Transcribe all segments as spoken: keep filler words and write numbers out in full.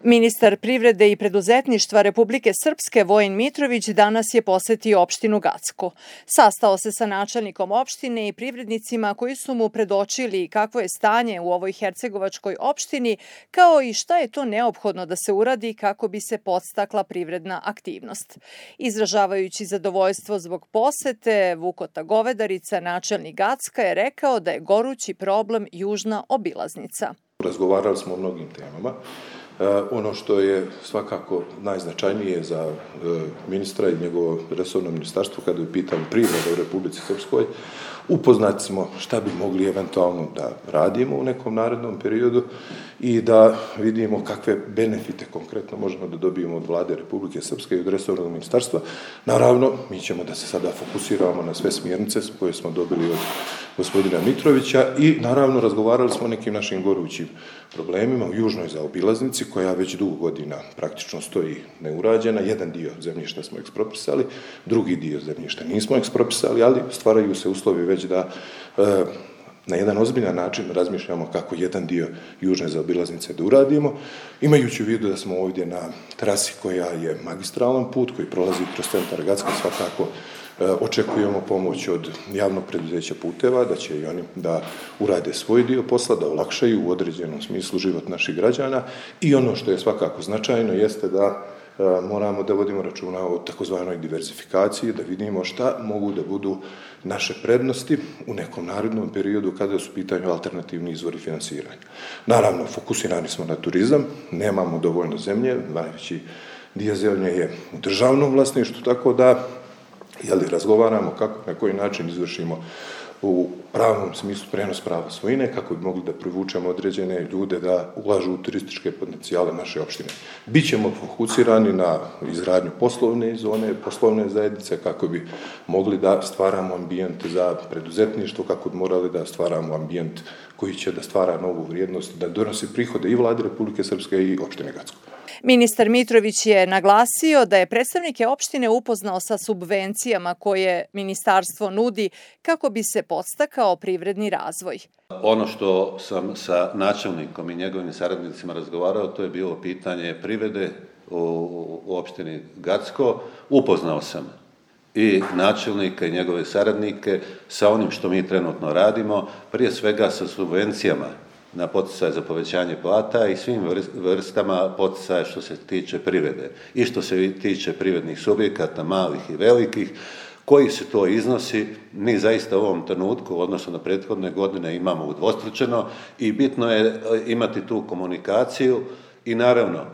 Ministar privrede i preduzetništva Republike Srpske Vojin Mitrović danas je posetio opštinu Gacko. Sastao se sa načelnikom opštine i privrednicima koji su mu predočili kakvo je stanje u ovoj hercegovačkoj opštini, kao i šta je to neophodno da se uradi kako bi se podstakla privredna aktivnost. Izražavajući zadovoljstvo zbog posete, Vukota Govedarica, načelnik Gacka, je rekao da je gorući problem južna obilaznica. Razgovarali smo o mnogim temama. Ono što je svakako najznačajnije za ministra i njegovo resorno ministarstvo kada je u pitanju privreda u Republici Srpskoj, upoznati smo šta bi mogli eventualno da radimo u nekom narednom periodu i da vidimo kakve benefite konkretno možemo da dobijemo od vlade Republike Srpske i od resornog ministarstva. Naravno, mi ćemo da se sada fokusiramo na sve smjernice koje smo dobili od gospodina Mitrovića i naravno razgovarali smo o nekim našim gorućim problemima u južnoj zaobilaznici koja već dugo godina praktično stoji neurađena. Jedan dio zemljišta smo ekspropisali, drugi dio zemljišta nismo ekspropisali, ali stvaraju se uslovi već da e, na jedan ozbiljan način razmišljamo kako jedan dio južne zaobilaznice da uradimo, imajući u vidu da smo ovdje na trasi koja je magistralan put, koji prolazi kroz centar Gacka, svakako očekujemo pomoć od javnog preduzeća puteva, da će i oni da urade svoj dio posla, da olakšaju u određenom smislu život naših građana i ono što je svakako značajno jeste da moramo da vodimo računa o takozvanoj diverzifikaciji, da vidimo šta mogu da budu naše prednosti u nekom narednom periodu kada su u pitanju alternativni izvori finansiranja. Naravno, fokusirani smo na turizam, nemamo dovoljno zemlje, najveći dio zemlje je u državnom vlasništvu, tako da jeli, razgovaramo kako, na koji način izvršimo u pravnom smislu prenos prava svojine, kako bi mogli da privučemo određene ljude da ulažu u turističke potencijale naše opštine. Bićemo fokusirani na izgradnju poslovne zone, poslovne zajednice, kako bi mogli da stvaramo ambijent za preduzetništvo, kako bi morali da stvaramo ambijent koji će da stvara novu vrijednost, da donosi prihode i vlade Republike Srpske i opštine Gacko. Ministar Mitrović je naglasio da je predstavnike opštine upoznao sa subvencijama koje ministarstvo nudi kako bi se podstakao privredni razvoj. Ono što sam sa načelnikom i njegovim saradnicima razgovarao, to je bilo pitanje privrede u, u opštini Gacko. Upoznao sam i načelnika i njegove saradnike sa onim što mi trenutno radimo, prije svega sa subvencijama na poticaj za povećanje plata i svim vrstama poticaja što se tiče privrede i što se tiče privrednih subjekata, malih i velikih, koji se to iznosi, mi zaista u ovom trenutku, odnosno na prethodne godine, imamo udvostručeno i bitno je imati tu komunikaciju i naravno,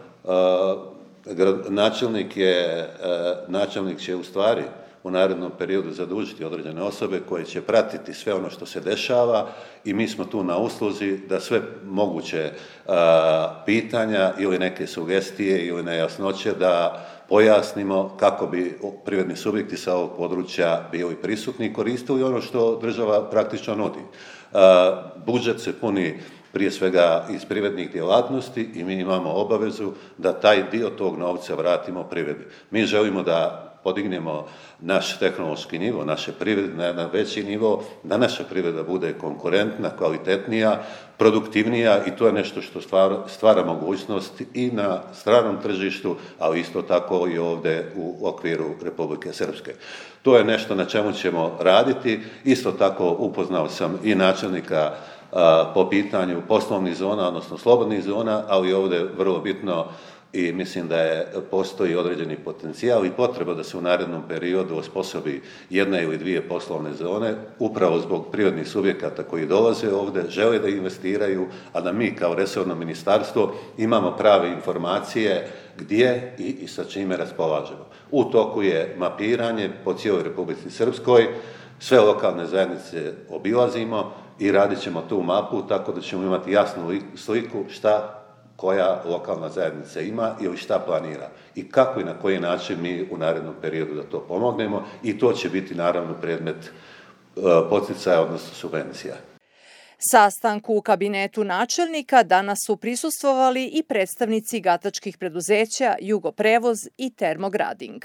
načelnik je, načelnik će u stvari u narednom periodu zadužiti određene osobe koje će pratiti sve ono što se dešava i mi smo tu na usluzi da sve moguće a, pitanja ili neke sugestije ili nejasnoće da pojasnimo kako bi privredni subjekti sa ovog područja bili prisutni i koristili ono što država praktično nudi. A, budžet se puni prije svega iz privrednih djelatnosti i mi imamo obavezu da taj dio tog novca vratimo privredi. Mi želimo da podignemo naš tehnološki nivo, naše privrede na jedan veći nivo, da naša privreda bude konkurentna, kvalitetnija, produktivnija i to je nešto što stvara, stvara mogućnost i na stranom tržištu, ali isto tako i ovdje u okviru Republike Srpske. To je nešto na čemu ćemo raditi. Isto tako upoznao sam i načelnika a, po pitanju poslovnih zona, odnosno slobodnih zona, ali ovdje je vrlo bitno i mislim da je, postoji određeni potencijal i potreba da se u narednom periodu osposobi jedna ili dvije poslovne zone, upravo zbog privatnih subjekata koji dolaze ovdje, žele da investiraju, a da mi kao resorno ministarstvo imamo prave informacije gdje i, i sa čime raspolažemo. U toku je mapiranje po cijeloj Republici Srpskoj, sve lokalne zajednice obilazimo i radit ćemo tu mapu tako da ćemo imati jasnu sliku šta koja lokalna zajednica ima ili šta planira i kako i na koji način mi u narednom periodu da to pomognemo i to će biti naravno predmet poticaja, odnosno subvencija. Sastanku u kabinetu načelnika danas su prisustvovali i predstavnici gatačkih preduzeća Jugoprevoz i Termograding.